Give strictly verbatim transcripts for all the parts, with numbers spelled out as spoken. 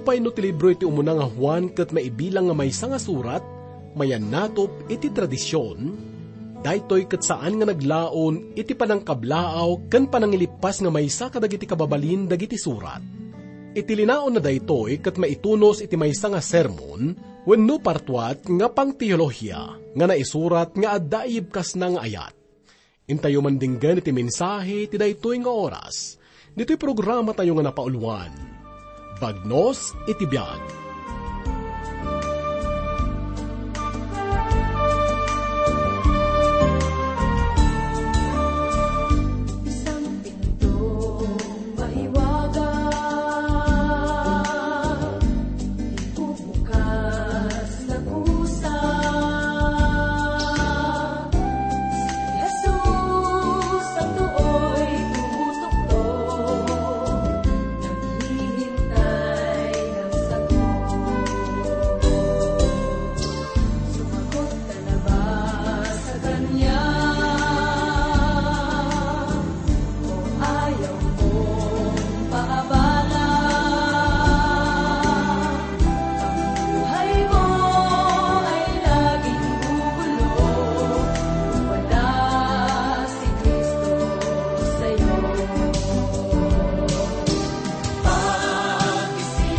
Apay no ti libro iti umuna nga Juan ket maibilang nga maysa nga surat, mayannatop iti tradision? Daytoy ket saan nga naglaon iti panangkablaaw ken panangilippas nga maysa kadagiti kababalin dagiti surat. Iti linaonna daytoy ket maitunos iti maysa nga sermon wenno partuat nga pangteolohiya nga naisurat nga adda iyibkasna nga ayat. Intayo man dinggen iti mensahe ti daytoy nga oras. Ditoy programatayo nga napauluan, Bagnos iti Biag. Isang pintong mahiwaga, ibubukas na kusa. Si Jesus ang tuoy tumutuktok, naghihintay ng sagot. Sumagot ka na ba sa kanya? O ayaw mong paabala? Ang buhay mo ay laging gugulo. Wala si Kristo sa'yo. Pag-isipan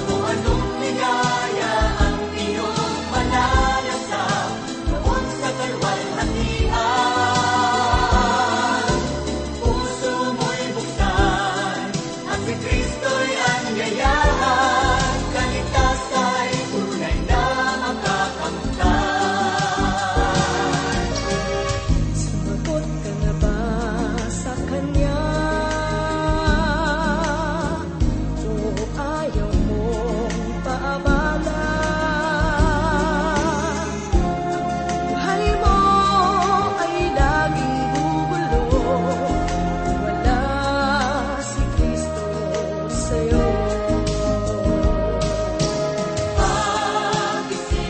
mo anong ligaya ang iyong manalasap noon sa kalwalhatian. Puso mo'y buksan at si Kristo'y anyayahan. Kaligtas ay tunay na makakamtan. Sumagot ka na ba sa kanya? O ayaw mong paabala? Buhay mo ay laging gugulo. Wala si Kristo sa'yo. Pag-isipan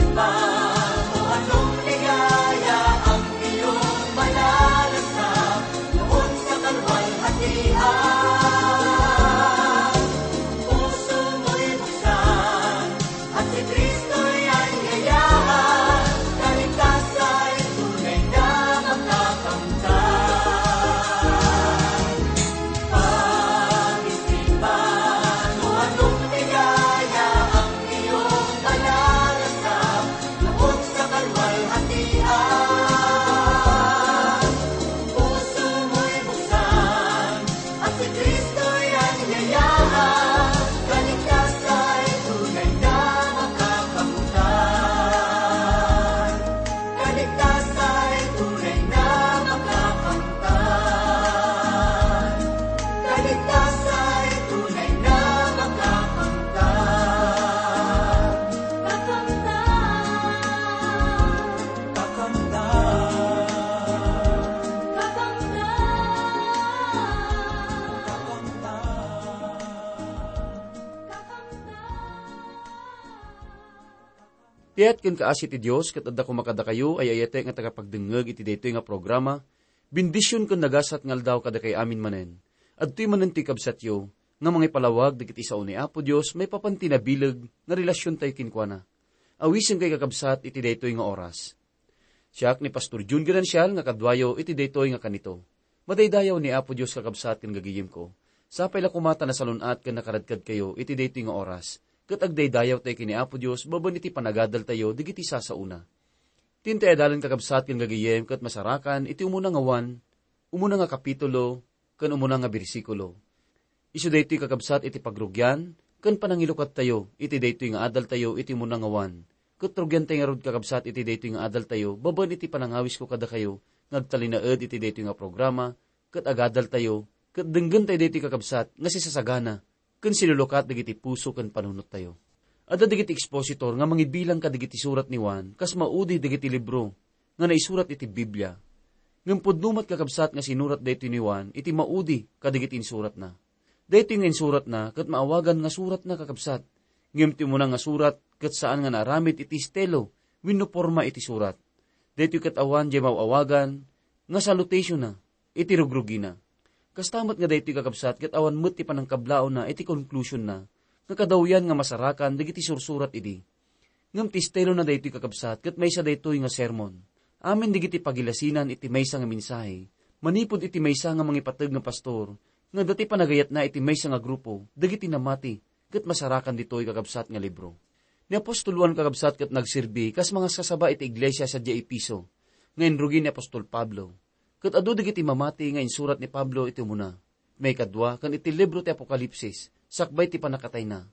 mo anong ligaya ang iyong manalasap noon sa kalwalhatian. Puso mo'y buksan at si Kristo'y anyayahan. Kaligtas ay tunay na makakamtan. Pag-isipan mo anong ligaya ang iyong manalasap noon sa kalwalhatian. Puso mo'y buksan at si Kristo'y anyayahan. Kaligtas ay tunay na makakamtan. Kaligtas ay tunay na makakamtan. Kaligtas ay tunay na makakamtan. Kakamtan. Kakamtan. Kakamtan. Kakamtan. Ti ayat ken kaasi ti Dios ket adda koma kadakayo, ay-ayatek nga tagapagdengngeg iti daytoy nga programa, bendision ken nagasat nga aldaw kadakayo amin manen. Adtoy manen ti kabsatyo nga mangipalawag dagiti sao ni Apo Dios maipapan ti nabileg nga relasiontayo kenkuana. Awisenkayo, kakabsat, iti daytoy nga oras. Siak ni Pastor Jun Ganancial nga kaduayo iti daytoy nga kanito. Madaydayaw ni Apo Dios, kakabsat ken gagayemko. Sapay la koma ta nasalun-at ken nakaradkadkayo iti daytoy nga oras, ket agdaydayawtayo ken ni Apo Dios babaen iti panagadaltayo dagiti sasaona. Ti intay a dalan, kakabsat ken gagayem, ket masarakan iti umuna nga Juan, umuna nga kapitulo, ken umuna nga bersikulo. Isu daytoy, kakabsat, iti pagrugian ken panangilukadtayo iti daytoy nga adaltayo iti umuna nga Juan. Ket rugiantay ngarud, kakabsat, iti daytoy nga adaltayo babaen iti panangawisko kadakayo nga agtalinaed iti daytoy nga programa, ket agadaltayo, ket denggentayo daytoy, kakabsat, nga sisasagana ken silulukat dagiti puso ken panunottayo. Adda dagiti expositor nga mangibilang kadagiti surat ni Juan kas maudi dagiti libro nga naisurat iti Biblia. Ngem pudno met, kakabsat, nga sinurat daytoy ni Juan iti maudi kadagiti insuratna. Daytoy nga insuratna ket maawagan nga suratna, kakabsat. Ngem ti umuna nga surat ket saan nga naaramid iti estilo wenno porma iti surat. Daytoy ket awan diay maaw-awagan nga salutationna iti rugrugina. Kasta met nga daytoy, kakabsat, ket awan met ti panangkablaawna iti konklusionna nga kadawyan nga masarakan dagiti sursurat idi. Ngem ti estilona daytoy, kakabsat, ket maysa daytoy nga sermon. Amin dagiti pagilasinan iti maysa nga mensahe, manipud iti maysa nga mangipateg nga pastor, nga adda ti panagayatna iti maysa nga grupo dagiti namati, ket masarakan ditoy, kakabsat, nga libro. Ni apostol Juan, kakabsat, ket nagserbi kas mangaskasaba iti iglesia sadiay Efeso, nga inrugi ni apostol Pablo. Ket adu dagiti mamati nga insurat ni Pablo iti umuna, maikadua, ken iti libro ti Apokalipsis, sakbay ti pannakatayna.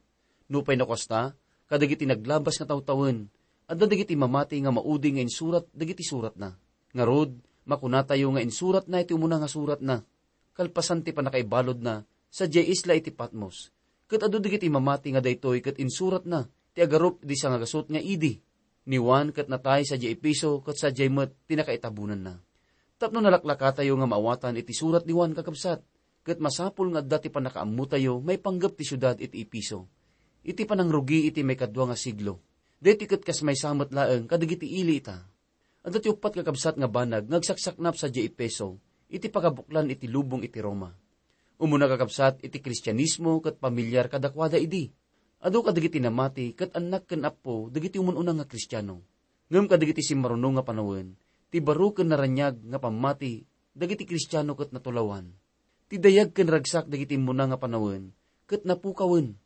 Nupay no kasta, kadagiti naglabas nga tawtawen, adda dagiti mamati nga maudi nga insurat dagiti suratna. Ngarud, makunatayo nga insuratna iti umuna nga suratna, kalpasan ti pannakaibaludna sadiay isla iti Patmos. Ket adu dagiti mamati nga daytoy ket insuratna ti agarup idi sangagasut nga idi. Ni Juan ket natay sadiay Efeso ket sadiay met ti nakaitabonanna. Tapno nalaklakatayo nga maawatan iti surat ni Juan, kakabsat, ket masapul nga adda ti pannakaammotayo maipanggep ti siudad iti Efeso iti panangrugi iti maikadua nga siglo. Daytoy ket kas maysa met laeng kadagiti ili ita. Adda ti uppat, kakabsat, nga banag nga agsaksaknap sadiay Efeso iti pagabuklan iti lubong iti Roma. Umuna, kakabsat, iti Kristianismo ket pamilyar kadakuada idi. Adu kadagiti namati ket annak ken appo dagiti umun-una nga Kristiano. Ngem kadagiti simmaruno nga panawen, ti baro ken naraniag nga pammati dagiti Kristiano ket natulawan. Ti dayag ken ragsak dagiti immuna nga panawen ket napukawen.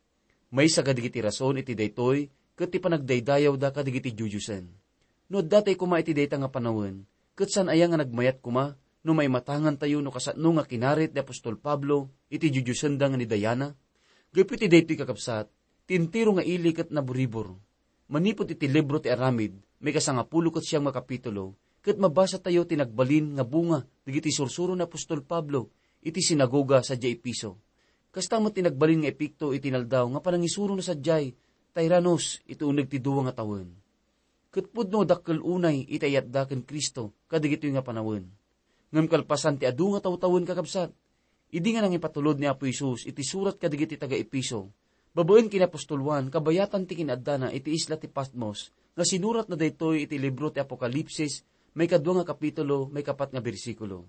Maysa kadagiti rason iti daytoy ket ti panagdaydayawda kadagiti diodiosen. No addatay koma iti dayta nga panawen, ket saan aya nga nagmayat koma no maimatangantayo no kasano nga kinarit ni apostol Pablo iti diodiosenda nga ni Diana? Gapu iti daytoy, kakabsat, ti entero nga ili ket naburibor. Manipud iti libro ti Aramid, maikasangapulo ket siam nga kapitulo, ket mabasatayo ti nagbalin nga bunga dagiti sursuro ni apostol Pablo iti sinagoga sadiay Efeso. Kasta met ti nagbalin nga epekto iti inaldaw nga panangisurona sadiay Tiranos iti uneg ti dua nga tawen. Ket pudno a dakkel unay iti ayatda ken Cristo kadagitoy nga panawen. Ngem kalpasan ti adu nga tawtawen, kakabsat, idi nga nangipatulod ni Apo Jesus iti surat kadagiti taga-Efeso, babaen ken ni apostol Juan, kabayatan ti kinaaddana iti isla ti Patmos, nga sinuratna daytoy iti libro ti Apokalipsis, maikadua nga kapitulo, maikapat nga bersikulo.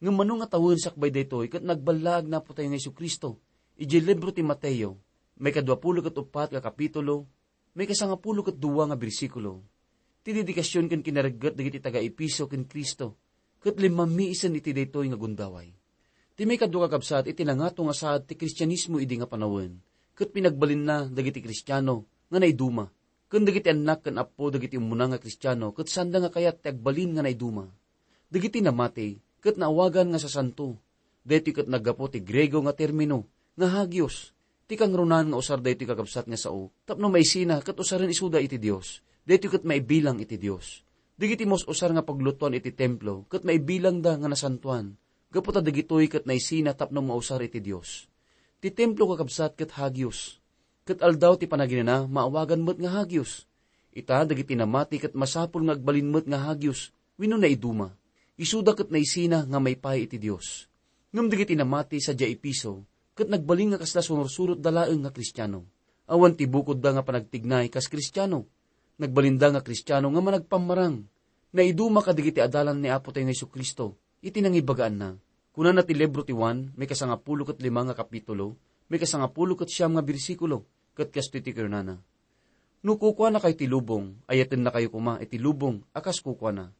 Ngem mano nga tawen sakbay daytoy ket nagballaag ni Apotayo nga Jesu-Cristo, idiay libro ti Mateo, maikaduapulo ket uppat nga kapitulo, maikasangapulo ket dua nga bersikulo. Ti dedikasion ken kinaregget dagiti taga-Efeso ken Cristo, ket limmammi isen iti daytoy nga gundaway. Ti maikadua, kakabsat, iti nangato nga saad ti Kristianismo idi nga panawen, ket pinagbalinna dagiti Kristiano nga naiduma, ken dagiti annak ken appo dagiti umuna nga Kristiano ket saanda nga kayat ti agbalin nga naiduma. Dagiti namati ket naawagan nga sasanto. Daytoy ket naggapu ti Griego nga termino nga hagios. Ti kangrunaan nga usar daytoy, kakabsat, nga sao tapno maisina ket usaren isuda iti Dios. Daytoy ket maibilang iti Dios. Dagiti mus-usar nga paglutuan iti templo ket maibilangda nga nasantoan, gapu ta dagitoy ket naisina tapno mausar iti Dios. Ti templo, kakabsat, ket hagios. Ket aldaw ti panaginana maawagan met nga hagios. Ita, dagiti namati ket masapul nga agbalin met nga hagios wenno naiduma. Isuda ket naisina nga maipaay iti Dios. Ngem dagiti namati sadiay Efeso ket nagbalin nga kasla sumursurotda laeng nga Kristiano. Awan ti bukodda nga panagtignay kas Kristiano. Nagbalinda nga Kristiano nga managpammarang. Naiduma kadagiti adalan ni Apotayo nga Jesu-Cristo iti nangibagaanna. Kunana ti libro ti Juan, maikasangapulo ket lima nga kapitulo, maikasangapulo ket siam nga bersikulo, ket kastoy ti kunana: "No kukuanakayo ti lubong, ayatennakayo koma iti lubong a kas kukuana.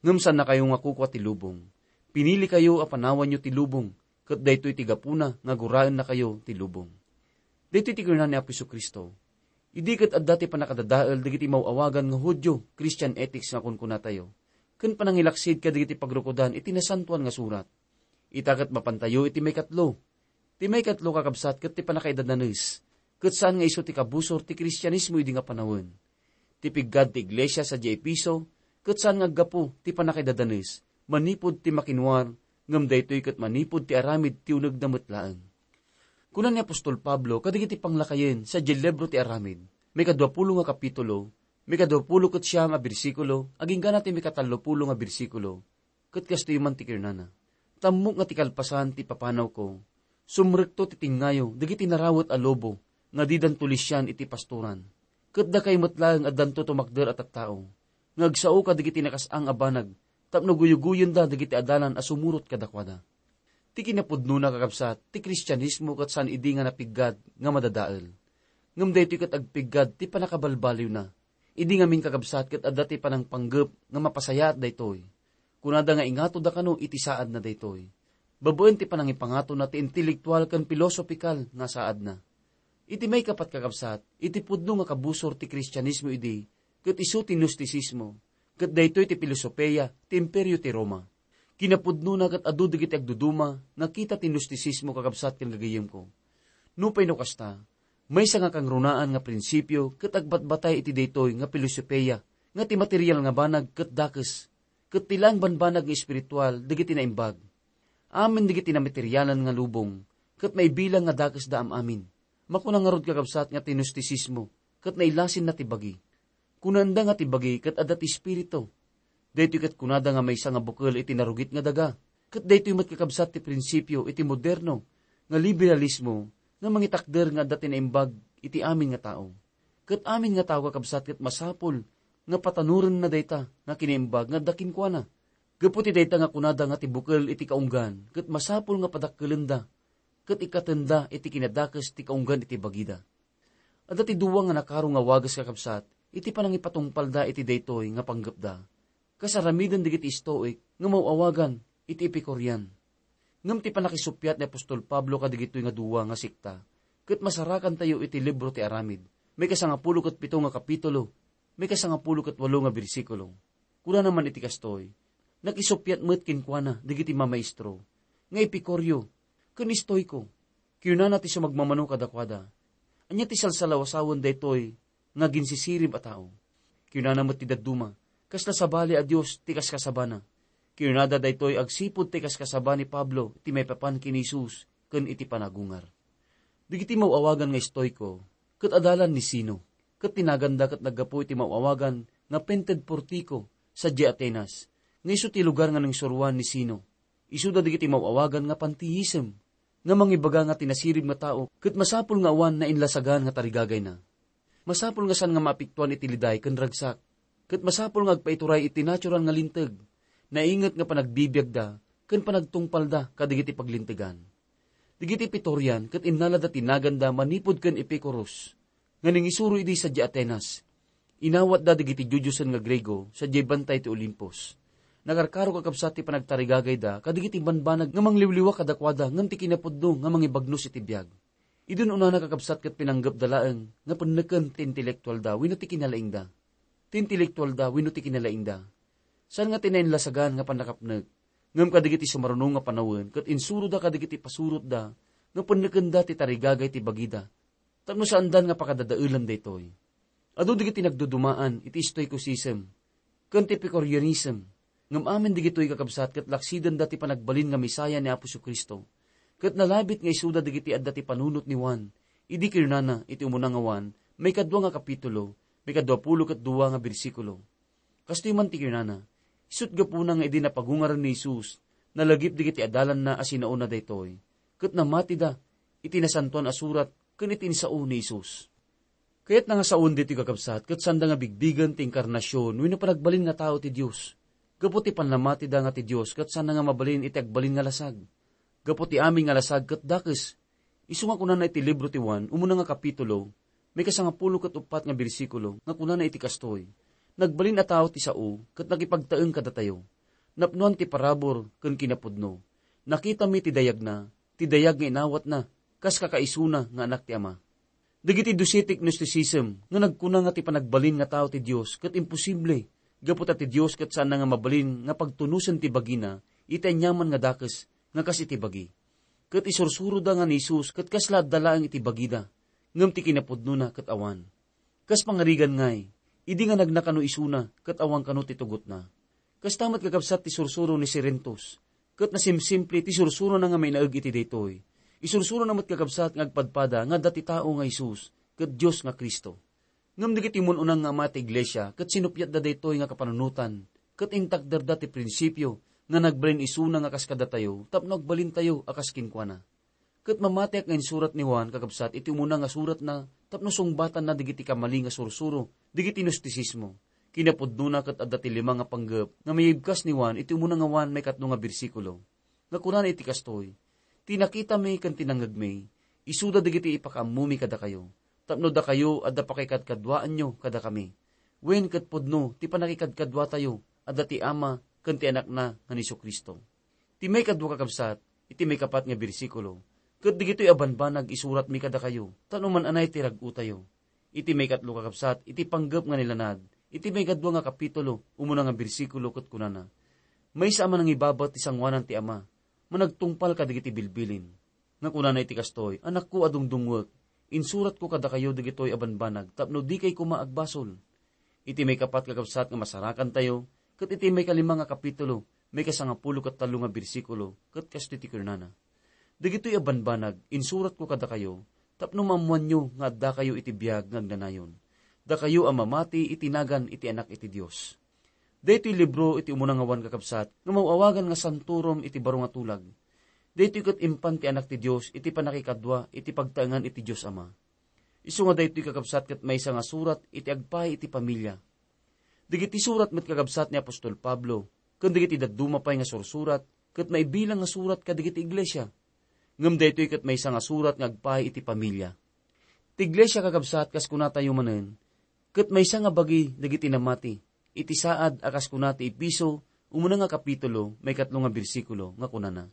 Ngem saannakayo nga kukua ti lubong. Pinilikayo a panawanyo ti lubong, ket daytoy ti gapuna nga guraennakayo ti lubong." Daytoy ti kinuna ni Apo Jesu-Cristo. Idi ket adda ti pannakadadael dagiti maw-awagan nga Judio, Christian ethics nga kunkunatayo, ken panangilaksid kadagiti pagrukodan iti Nasantoan nga Surat. Ita ket mapantayo iti maikatlo. Ti maikatlo, kakabsat, ket ti pannakaidadanes, ket saan nga isu ti kabusor ti Kristianismo idi nga panawen. Ti piggad ti iglesia sadiay Efeso ket saan nga aggapu ti pannakaidadanes manipud ti makinwar, ngem daytoy ket manipud ti aramid ti unegda met laeng. Kuna ni apostol Pablo kadagiti panglakayen sadiay libro ti Aramid, maikaduapulo nga kapitulo, maikaduapulo ket siam a bersikulo, agingga na ti maikatallopulo nga bersikulo, ket kastoy man ti kinunana: "Tammok nga ti kalpasan ti papanawko, sumrekto ti tengngayo dagiti narawet a lobo nga didanto lisian iti pastoran. Ket dakay met laeng addanto tumakder a tattao, nga agsao kadagiti nakas-ang a banag tapno guyugoyenda dagiti adalan a sumurot kadakuada." Ti kinapudnona, kakabsat, ti Kristianismo ket saan idi nga napiggad nga madadael. Ngem daytoy ket agpiggad ti pannakabalbaliwna. Idi ngamin, kakabsat, ket adda ti panangpanggep nga mapasayaat daytoy. Kunada nga ingatoda kano iti saadna daytoy. Babaen ti panangipangatona ti intelektual ken pilosopikal nga saadna. Iti maikapat, kakabsat, iti pudno nga kabusor ti Kristianismo idi, ket isu ti Gnosticismo, ket daytoy ti filosofia ti Imperio ti Roma. Kinapudnona ket adu dagiti agduduma nga kita ti Gnosticismo, kakabsat ken gagayyemko. Nupay no kasta, maysa nga kangrunaan nga prinsipio ket agbatbatay iti daytoy nga filosofia nga ti material nga banag ket dakes, ket ti laeng banbanag nga espiritual dagiti naimbag. Amin dagiti namaterialan nga lubong, ket maibilang nga dakesda am-amin. Makuna ngarud, kakabsat, nga ti Gnosticismo ket nailasinna ti bagi. Kunaenda nga ti bagi ket adda ti espiritu. Daytoy ket kunada nga maysa nga bukel iti narugit nga daga. Ket daytoy met, kakabsat, ti prinsipio iti moderno nga liberalismo nga mangitakder nga adda ti naimbag iti amin nga tao. Ket amin nga tao, kakabsat, ket masapul nga patanorenna dayta nga kinaimbag nga adda kenkuana. Gapu ti dayta nga kunada nga ti bukel iti kaunggan, ket masapul nga padakkelenda ket ikkatenda iti kinadakes ti kaunggan iti bagida. Adda ti dua nga nakaro nga wagas, kakabsat, iti panangipatungpalda iti daytoy nga panggepda. Kas aramiden dagiti Stoic nga maw-awagan iti Epicurean. Ngem ti pannakisuppiat ni apostol Pablo kadagitoy nga dua nga sekta ket masarakantayo iti libro ti Aramid, maikasangapulo ket pito nga kapitulo, maikasangapulo ket walo nga bersikulo. Kunana man iti kastoy, nakisuppiat met kenkuana dagiti mamaestro nga Epikurio ken Stoiko. Kinunana ti sumagmamano kadakuada, "Ania ti salsalawasawen daytoy nga aginsisirib a tao?" Kinunana met ti dadduma, "Kasla sabali a dios ti kaskasabana." Kinunada daytoy agsipud ti kaskasaba ni Pablo iti maipapan ken ni Jesus ken iti panagungar. Dagiti maw-awagan nga Stoiko ket adalan ni Zeno, ket ti naganda ket naggapu iti maw-awagan nga Pented Portico sadiay Atenas, nga isu ti lugar nga nangisuroan ni Zeno. Isuda dagiti maw-awagan nga pantheism, nga mangibaga nga ti nasirib nga tao ket masapul nga awan nainlasagan nga tarigagayna. Masapul nga saan nga maapektuan iti liday ken ragsak, ket masapul nga agpaituray iti natural nga linteg, nainget nga panagbibiagda ken panagtungpalda kadagiti paglintegan. Dagiti Epicurean ket innalada ti naganda manipud ken Epicurus, nga nangisuro idi sadiay Atenas. Inawatda dagiti diodiosen nga Griego sadiay bantay ti Olimpos. Nakarkaro, kakabsat, ti panagtarigagayda kadagiti banbanag nga mangliwliwa kadakuada ngem ti kinapudno nga mangibagnos iti biag. Idi un-unana, kakabsat, ket pinanggepda laeng nga penneken ti intelektualda wenno ti kinalaingda. Ti intelektualda wenno ti kinalaingda. Saan nga ti nainlasagan nga pannakapnek, ngem kadagiti sumaruno nga panawen ket insuroda kadagiti pasurotda nga pennekenda ti tarigagay ti bagida tapno saandan nga pakadadaelan daytoy. Adu dagiti nagdudumaan iti Stoicism ken ti Epicureanism, ngem amin dagitoy, kakabsat, ket laksidenda ti panagbalin nga Messiah ni Apo Jesu-Cristo, ket nalabit nga isuda dagiti adda ti panunot ni Juan, idi kinunana iti umuna nga Juan, maikadua nga kapitulo, maikadua pulo ket dua nga bersikulo. Kastoy man ti kinunana, isut' gapuna nga idi napagungaren ni Jesus, nalagip dagiti adalanna a sinaona daytoy, ket namatida iti Nasantoan a Surat ken iti insao ni Jesus. Kayatna nga saoen ditoy, kakabsat, ket saanda nga bigbigen ti inkarnasion wenno panagbalin nga tao ti Dios. Gapu ti pannamatida nga ti Dios ket saanna nga mabalin iti agbalin nga lasag. Gapu ti amin nga lasag ket dakes. Isu nga kunana iti libro ti Juan, umuna nga kapitulo, maikasangapulo ket uppat nga bersikulo, nga kunana iti kastoy, "Nagbalin a tao ti sao ket nakipagtaeng kadatayo. Napnoan ti parabur ken kinapudno. Nakitami ti dayagna, ti dayag nga inawatna, kas kakaisuna nga Anak ti Ama." Dagiti Docetic Gnosticism nga nagkuna nga ti panagbalin nga tao ti Dios ket imposible, gapu ta ti Dios ket saanna nga mabalin nga pagtunosen ti bagina iti aniaman nga dakes nga kas iti bagi. Ket isursuroda nga ni Jesus ket kasla adda laeng iti bagida, ngem ti kinapudnona ket awan. Kas pangarigan ngay, idi nga nagna kano isuna ket awan kano ti tugotna. Kasta met, kakabsat, ti sursuro ni Cerinthus, ket nasimsimple ti sursurona nga mainaeg iti daytoy. Isursurona met, kakabsat, nga agpadpada nga adda ti tao nga Jesus ket Dios nga Cristo. Ngem dagiti mun-unang nga ama ti iglesia ket sinuppiatda daytoy nga kapanunotan, ket intakderda ti prinsipio nga nagbalin isuna nga kas kadatayo tapno agbalintayo a kas kenkuana. Ket mamatiak nga insurat ni Juan, kakabsat, iti umuna nga suratna tapno sungbatanna dagiti kamali nga sursuro dagiti Gnosticismo. Kinapudnona ket adda ti lima nga panggep nga mayibkas ni Juan iti umuna nga Juan maikatlo nga bersikulo, nga kunana iti kastoy, "Ti nakitami ken ti nangngegmi, isuda dagiti ipakaammomi kadakayo. tapno dakayo adda pakikadkaduaanyo kadakami. Wen ket pudno ti pannakikadkaduatayo adda ti Ama ken ti Anakna nga ni Jesu-Cristo. Ti maikadua, kakabsat, iti maikapat nga bersikulo, ket dagitoy a banbanag isuratmi kadakayo, ta no man-anay ti rag-otayo. Iti maikatlo, kakabsat, iti panggep nga nilanad, iti maikadua nga kapitulo, umuna nga bersikulo, ket kunana, "Maysa a manangibabat ti sangoanan ti Ama, managtungpal kadagiti bilbilin." Nga kunana iti kastoy, "Anakko a dungdungngoek, insuratko kadakayo dagitoy a banbanag tapno dikay koma agbasol." Iti maikapat, kakabsat, nga masarakantayo, ket iti maikalima nga kapitulo, maikasangapulo ket tallo nga bersikulo, ket kastoy ti kunana, "Dagitoy a banbanag, insuratko kadakayo, tapno maammoanyo nga addakayo iti biag nga agnanayon, dakayo a mamati iti nagan iti Anak iti Dios." Daytoy libro iti umuna nga awan, kakabsat, nga maw-awagan nga santorum iti baro nga tulag. Daytoy ket impan ti Anak ti Dios iti pannakikadua iti pagtaengan iti Dios Ama. Isu nga daytoy, kakabsat, ket maysa nga surat iti agpaay iti pamilia. Dagiti surat met, kakabsat, ni apostol Pablo, ken dagiti dadduma pay nga sursurat, ket maibilang nga surat kadagiti iglesia. Ngem daytoy ket maysa nga surat nga agpaay iti pamilia. Ti iglesia, kakabsat, kas kunatayo manen, ket maysa nga bagi dagiti namati iti saad a kas kuna ti Efeso, umuna nga kapitulo, maikatlo nga bersikulo, nga kunana,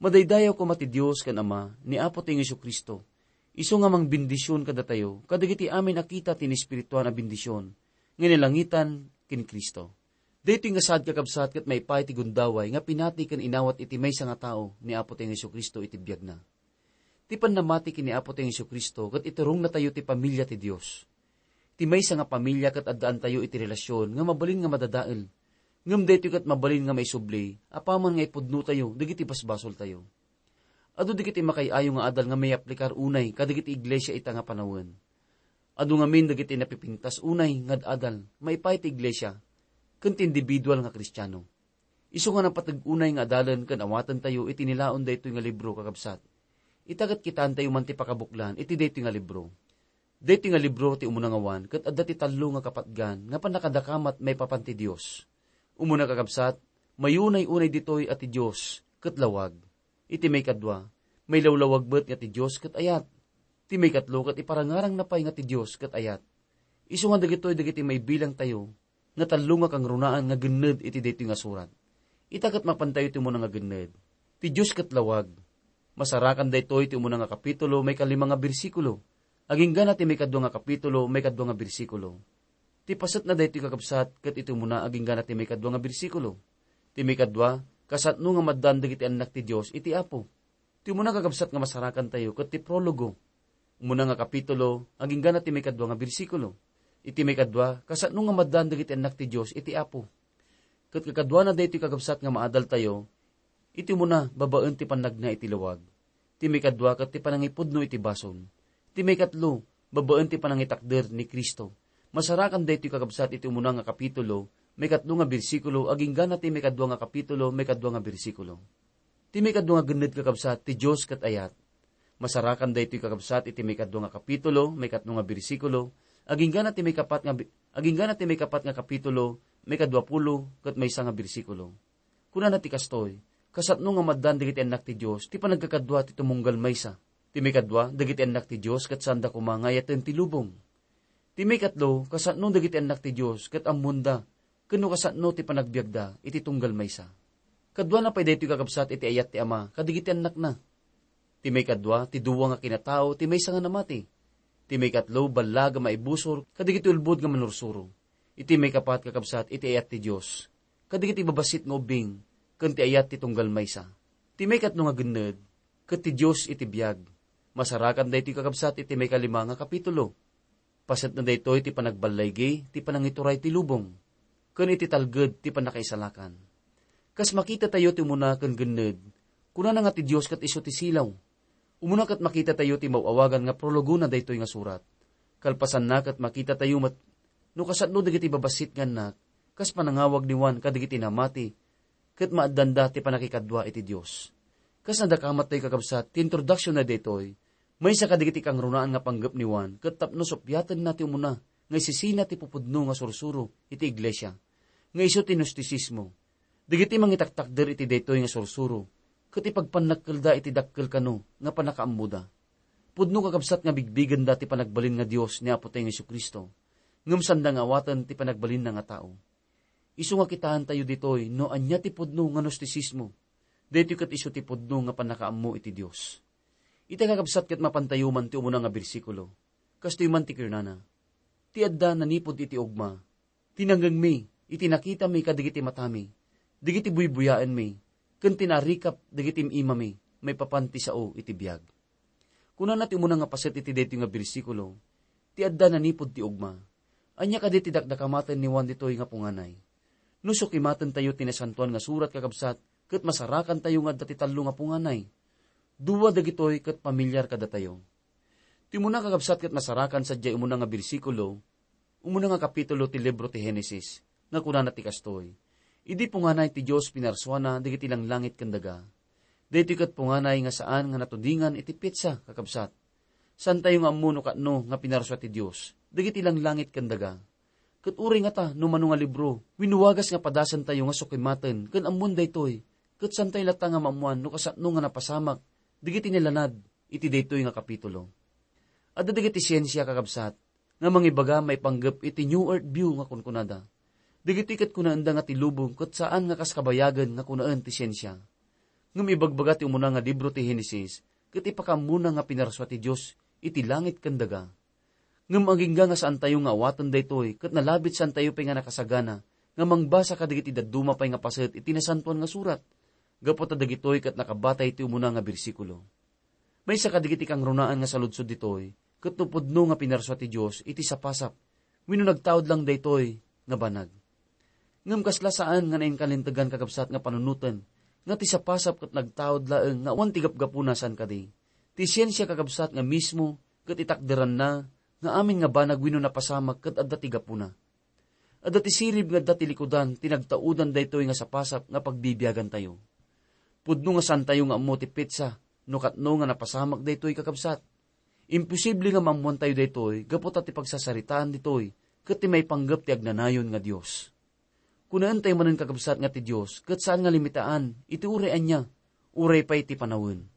"Madaydayaw koma ti Dios ken Ama ni Apo tayo Jesu-Cristo. Isu nga mangbendisyon kadatayo kadagiti amin a kita ti naespirituan a bendisyon nga ni langitan ken Cristo." Daytoy nga saad, kakabsat, ket maipaay ti gundaway nga pinati ken inawat iti maysa nga tao ni Apo tayo Jesu-Cristo iti biagna. Ti pannamati ken ni Apo tayo Jesu-Cristo ket iturongnatayo ti pamilia ti Dios. Ti maysa nga pamilia ket addaantayo iti relasyon nga mabalin nga madadael. Ngem daytoy ket mabalin nga maisubli apaman nga ipudnotayo dagiti basbasoltayo. Adu dagiti makaay-ayo nga adal nga mayaplikar unay kadagiti iglesia ita nga panawen. Adu ngamin dagiti napipintas unay nga ad-adal maipaay ti iglesia ken ti individual nga Kristiano. Isu nga napateg unay nga adalen ken awatentayo iti nilaon daytoy nga libro, kakabsat. Ita ket kitaentayo man ti pakabuklan iti daytoy nga libro. Daytoy nga libro ti umuna nga awan ket adda ti tallo nga kapatgan nga pannakadakamat maipapan ti Dios. Umuna, kakabsat, mayunay unay ditoy a ti Dios ket lawag. Iti maikadua, mailawlawag met nga ti Dios ket ayat. Ti maikatlo ket iparangarangna pay nga ti Dios ket ayat. Isu nga dagitoy dagiti maibilangtayo nga tallo nga kangrunaan nga genned iti daytoy nga surat. Ita ket mapantayo ti umuna nga genned. Ti Dios ket lawag. Masarakan daytoy ti umuna nga kapitulo, maikalima nga bersikulo, agingga na ti maikadua nga kapitulo, maikadua nga bersikulo. Ti pasetna daytoy, kakabsat, ket iti umuna agingga na ti maikadua nga bersikulo. Ti maikadua, kasatno nga maddan dagiti annak ti Dios iti Apo. Ti umuna, kakabsat, nga masarakantayo ket ti prologo. Umuna nga kapitulo, agingga na ti maikadua nga bersikulo. Iti maikadua, kasatno nga maddan dagiti annak ti Dios iti Apo. Ket kakaduana daytoy, kakabsat, nga maadaltayo, iti umuna, babaen ti pannagna iti lawag. Ti maikadua ket ti panangipudno iti basol. Ti maikatlo, babaen ti panangitakder ni Cristo. Masarakan daytoy, kakabsat, iti umuna nga kapitulo, maikatlo nga bersikulo, agingga na ti maikadua nga kapitulo, maikadua nga bersikulo. Ti maikadua nga genned, kakabsat, ti Dios ket ayat. Masarakan daytoy, kakabsat, iti maikadua nga kapitulo, maikatlo nga bersikulo, agingga na ti maikapat nga bi-, agingga na ti maikapat nga kapitulo, maikadua pulo ket maysa nga bersikulo. Kunana ti kastoy, kasatno nga maddan dagiti annak ti Dios ti panagkakadua ti tumunggal maysa. Ti maikadua, dagiti annak ti Dios ket saanda koma nga ayaten ti lubong. Ti maikatlo, kasatno dagiti annak ti Dios ket ammonda ken no kasatno ti panagbiagda iti tunggal maysa. Kaduana pay daytoy, kakabsat, iti ayat ti Ama kadagiti annakna. Ti maikadua, ti dua nga kinatao ti maysa nga namati. Ti maikatlo, ballag a maibusor kadagiti ulbod nga manursuro. Iti maikapat, kakabsat, iti ayat ti Dios kadagiti babassit nga ubbing ken ti ayat ti tunggal maysa. Ti maikatlo nga genned, ket ti Dios iti biag. Masarakan daytoy, kakabsat, iti maikalima nga kapitulo. Pasetna daytoy ti panagballaygi ti panangituray ti lubong, ken iti talged ti pannakaisalakan. Kas makitatayo ti umuna ken genned, kunana nga ti Dios ket isu ti silaw. Umuna ket makitatayo ti maw-awagan nga prologona daytoy nga surat. Kalpasanna ket makitatayo met no kasano dagiti babassit nga annak, kas panangawag ni Juan kadagiti namati, ket maaddanda ti pannakikadua iti Dios. Kas nadakamat tayo, kakabsat, ti introduction na daytoy, maysa kadagiti kangrunaan nga panggep ni Juan ket tapno suppiatenna ti umuna nga isisina ti pupudno nga sursuro iti iglesia, nga isu ti Gnostisismo. Dagiti mangitaktakder iti daytoy nga sursuro ket ipagpannakkelda iti dakkel kano nga pannakaammoda. Pudno, kakabsat, nga bigbigenda ti panagbalin nga Dios ni Apotayo nga Jesu-Cristo, ngem sanda nga awaten ti panagbalinna nga tao. Isu nga kitaentayo ditoy no ania ti pudno nga gnostisismo. Daytoy ket isu ti pudno nga pannakaammo iti Dios. Ita, kakabsat, ket mapantayo man ti umuna nga bersikulo. Kastoy man ti kunana, "Ti adda nanipud iti ugma, ti nangngegmi, iti nakitami kadagiti matami, dagiti buybuyaenmi, ken ti naarikap dagiti im-imami maipapan ti sao iti biag." Kunana ti umuna nga paset iti daytoy nga bersikulo, "Ti adda nanipud ti ugma." Ania kadi ti dakdakamaten ni Juan ditoy nga punganay? No sukimatentayo ti Nasantoan nga Surat, kakabsat, ket masarakantayo nga adda ti tallo nga punganay. Dua dagitoy ket pamilyar kadatayo. Ti umuna, kakabsat, ket nasarakan sadiay umuna nga bersikulo, umuna nga kapitulo ti libro ti Genesis, nga kunana ti kastoy, "Idi punganay ti Dios pinarsuana dagiti langlangit ken daga." Daytoy ket punganay nga saan nga natudingan iti petsa, kakabsat. Saantayo nga ammo no katno nga pinarsua ti Dios dagiti langlangit ken daga. Ket uray ngata no mano nga libro, wenno wagas nga padasentayo nga sukimaten ken ammoen daytoy, ket saantayo latta nga maammoan no kasano nga napasamak dagiti nilanad iti daytoy nga kapitulo. Adda dagiti siensia, kakabsat, nga mangibaga maipanggep iti New Earth View nga kunkunada. Dagitoy ket kunaenda nga ti lubong ket saan nga kas kabayagen nga kunaen ti siensia. Ngem ibagbaga ti umuna nga libro ti Genesis ket ipakaammona nga pinarsua ti Dios iti langit ken daga. Ngem agingga nga saantayo nga awaten daytoy ket nalabit saantayo pay nga nakasagana nga mangbasa kadagiti dadduma pay nga paset iti Nasantoan nga Surat. Gapu ta dagitoy ket nakabatay ti umuna nga bersikulo. Maysa kadagiti kangrunaan nga saludsod ditoy, ket no pudno nga pinarsua ti Dios iti sapasap, wenno nagtaud lang daytoy nga banag. Ngem kasla saan nga nainkalintegan, kakabsat, nga panunoten nga ti sapasap ket nagtaud laeng nga awan ti gapgapuna, saan kadi? Ti siensia, kakabsat, nga mismo ket itakderanna nga amin nga banag wenno napasamak ket adda ti gapuna. Adda ti sirib nga adda ti likudan ti nagtaudan daytoy nga sapasap nga pagbibiagantayo. Pudno nga saantayo nga ammo ti petsa no katno nga napasamak daytoy, kakabsat. Imposible nga maammoantayo daytoy gapu ta ti pagsasaritaan ditoy ket ti maipanggep ti agnanayon nga Dios. Kunaentayo manen, kakabsat, nga ti Dios ket saan nga limitaan iti uray ania, uray pay ti panawen.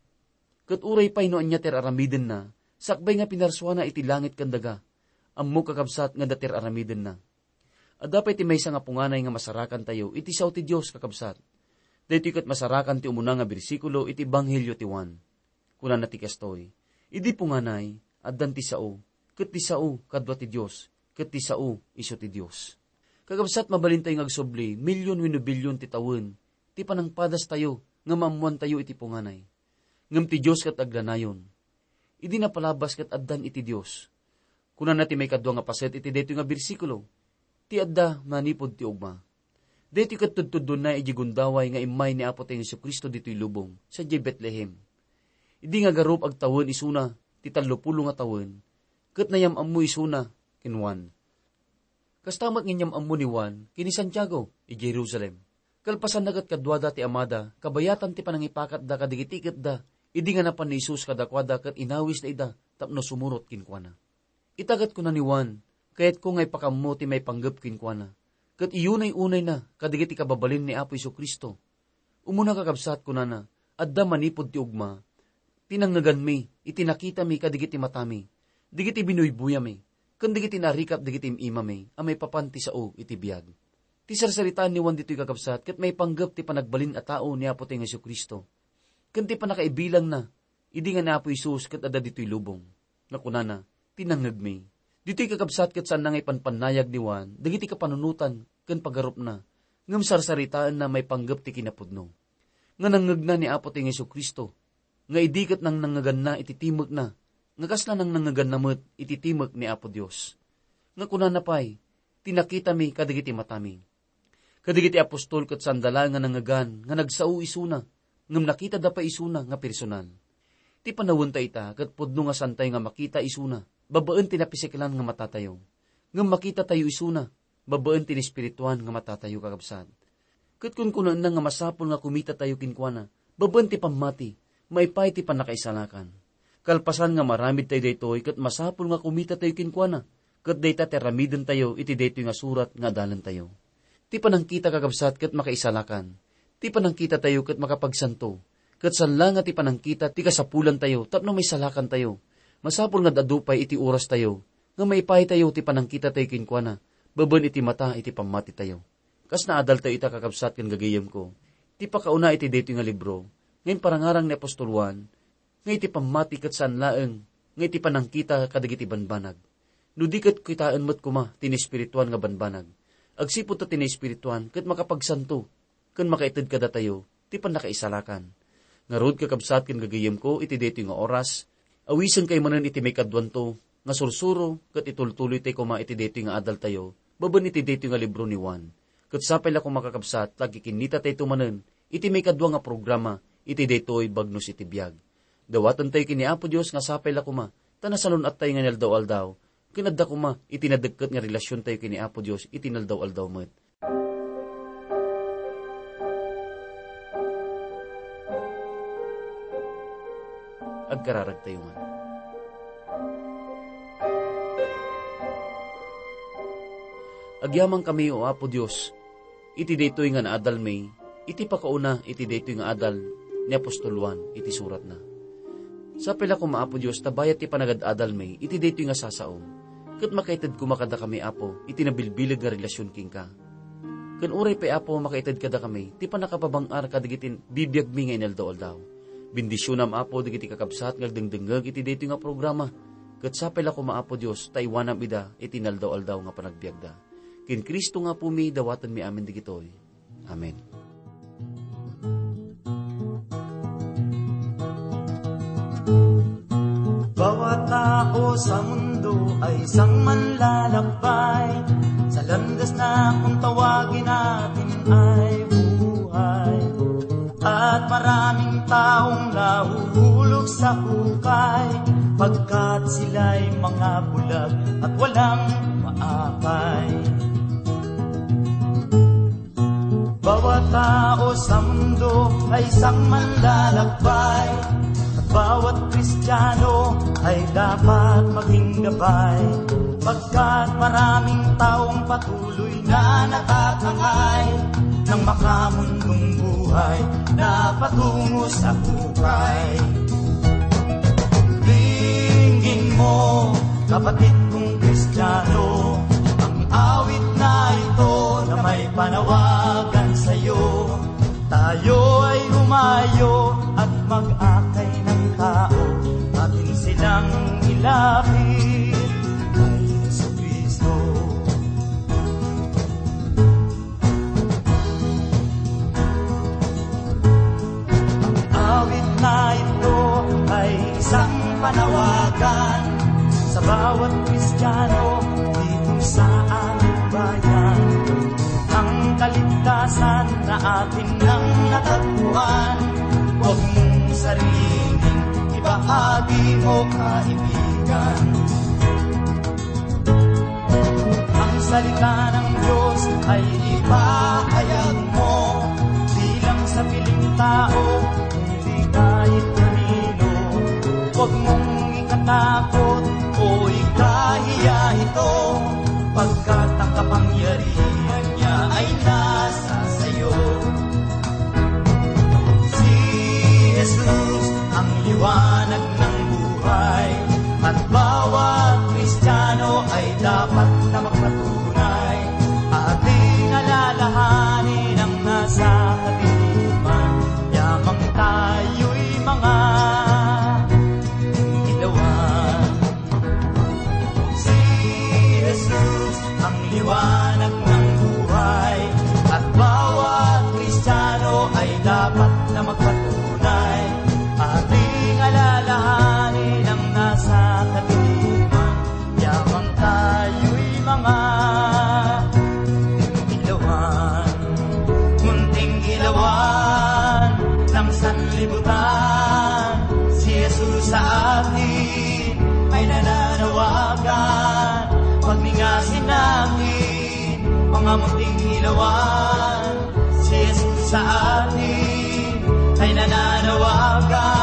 Ket uray pay no ania ti ar-aramidenna, sakbay nga pinarsuana iti langit ken daga, ammo, kakabsat, nga adda ti ar-aramidenna. Adda pay ti maysa nga punganay nga masarakantayo iti sao ti Dios, kakabsat. Daytoy ket masarakan ti umuna nga bersikulo iti Ebanghelio ti Juan. Kunana ti kastoy, "Idi punganay, addan ti sao, ket ti sao kadua ti Dios, ket ti sao isu ti Dios." Kakabsat, mabalintayo nga agsubli, milyon wenno bilyon ti tawen ti panangpadastayo nga maammoantayo iti punganay. Ngem ti Dios ket agnanayon. Idi napalabas ket addan iti Dios. Kunana ti maikadua nga paset iti daytoy nga bersikulo, "Ti adda manipud ti ugma." Daytoy ket tudtuddonna idiay gundaway nga immay ni Apotayo Jesu-Cristo ditoy lubong, sadiay Betlehem. Idi nga garup agtawen isuna ti tallopulo nga tawen, ket nayam-ammo isuna ken Juan. Kasta met nga inyam-ammo ni Juan ken ni Santiago idiay Jerusalem. Kalpasanna ket kaduada ti amada, kabayatan ti panangipakatda kadagiti iketda, idi nga napan ni Jesus kadakuada ket inawisda ida tapno sumurot kenkuana. Ita ket kuna ni Juan, "Kayatko nga ipakaammo ti maipanggep kenkuana, ket iyunay-unayna kadagiti kababalin ni Apo Jesu-Cristo." Umuna, kakabsat, kunana, "Adda manipud ti ugma ti nangngeganmi iti nakitami kadagiti matami, dagiti binuybuyami, ken dagiti naarikap dagiti im-imami a maipapan ti sao iti biag." Ti sarsaritaan ni Juan ditoy, kakabsat, ket maipanggep ti panagbalin a tao ni Apotayo nga Jesu-Cristo, ken ti pannakaibilangna idi nga ni Apo Jesus ket adda ditoy lubong. Nga kunana, "Ti nangngegmi." Ditoy, kakabsat, ket saanna nga ipanpannayag ni Juan dagiti kapanunotan ken pagarupna, ngem sarsaritaenna maipanggep ti kinapudno nga nangngegna ni Apotayo nga Jesu-Cristo, nga idi ket nangnangngeganna iti timekna, nga kasla nangnangngeganna met iti timek ni Apo Dios. Nga kunana pay, "Ti nakitami kadagiti matami." Kadagiti apostol ket saanda laeng nga nangngegan nga nagsao isuna, ngem nakitada pay isuna nga personal. Ti panawenta ita ket pudno nga saantayo nga makita isuna babaen ti napisiklan nga matatayo, ngem makitatayo isuna babaen ti naespirituan nga matatayo, kakabsat. Ket kunkunaenna nga masapul nga kumitatayo kenkuana babaen ti pammati, maipaay ti pannakaisalakan. Kalpasan nga maaramidtayo daytoy, ket masapul nga kumitatayo kenkuana, ket dayta ti aramidentayo iti daytoy nga surat nga adalentayo. Ti panangkita, kakabsat, ket makaisalakan. Ti panangkitatayo ket makapagsanto. Ket saan la nga ti panangkita ti kasapulantayo tapno maisalakantayo. Masapul nga ad-adu pay iti orastayo nga maipahitayo ti panangkitatayo kenkuana babaen iti mata iti pammatitayo. Kas naadaltayo ita, kakabsat ken gagayemko, ti pakauna iti daytoy nga libro nga imparangarang ni apostol Juan, nga iti pammati ket saan laeng nga iti panangkita kadagiti banbanag. No di ket kitaen met koma ti naespirituan nga banbanag, agsipud ta ti naespirituan ket makapagsanto ken makaited kadatayo ti pannakaisalakan. Ngarud, kakabsat ken gagayemko, iti daytoy nga oras, awisenkayo manen iti maikaduanto nga sursuro ket itultuloytayo koma iti daytoy nga adaltayo babaen iti daytoy nga libro ni Juan. Ket sapay la koma, kakabsat, ta agkikinnitatayto manen iti maikadua nga programa iti daytoy Bagnos iti Biag. Dawatentayo ken ni Apo Dios nga sapay la koma ta nasalun-attayo nga inaldaw-aldaw ken adda koma iti nadekket nga relasiontayo ken ni Apo Dios iti inaldaw-aldaw met. Agkararagtayo man. Agyamankami, O Apo Dios, iti daytoy nga naadalmi, iti pakauna iti daytoy nga adal ni apostol Juan iti suratna. Sapay la koma, Apo Dios, ta bayat ti panagad-adalmi iti daytoy nga sasaom, ket makaited koma kadakami, Apo, iti nabilbileg nga relasion kenka. Ken uray pay, Apo, makaited kadakami ti pannakapabang-ar kadagiti bibiagmi nga inaldaw-aldaw. Bendisionam, Apo, dagiti kakabsat nga agdengdengngeg iti daytoy nga programa, ket sapay la koma, Apo Dios, ta iwanam ida iti inaldaw-aldaw nga panagbiagda. Ken Cristo nga Apomi, dawatenmi amin dagitoy. Amen. Bawat tao sa mundo ay isang manlalakbay. Sa landas na kung tawagin natin ay buhay. At maraming taong nahuhulog sa hukay, pagkat sila'y mga bulag at walang maakay. Bawat tao sa mundo ay isang manlalakbay, at bawat Kristiyano ay dapat maging gabay, pagkat maraming taong patuloy na natatangay ng makamundong buhay na patungo sa hukay. Dinggin mo, kapatid kong Kristiyano, ang awit na ito na may panawagan sa'yo. Tayo ay humayo at mag-akay ng tao, atin silang ilapit kay Jesucristo. Ang awit na ito ay isang panawagan sa bawat Kristiyano dito sa aming bayan. Ang kaligtasan na atin nang natagpuan, huwag mong sariling ibahagi mo, kaibigan. Ang salita ng Diyos ay ipahayag mo bilang sabiling tao, hindi kahit kanino. Huwag mong ikatakot o ikahiya ito, pagkat ang kapangyarihan niya ay nasa sa'yo. Si Jesus ang liwanag ng buhay, at bawat Kristiyano ay dapat na magpatunay. Ating alalahanin ang nasa kadiliman, yamang tayo'y mga ilawan. Si Jesus ang liwanag ng buhay, at bawat Kristiyano ay dapat na magpatunay. Ating alalahanin ang nasa kadiliman, yamang tayo'y mga ilawan. Munting ilawan ng sanlibutan, si Jesus sa atin ay nananawagan. Pagningasin natin, mga munting ilawan, si Jesus sa atin ay nananawagan.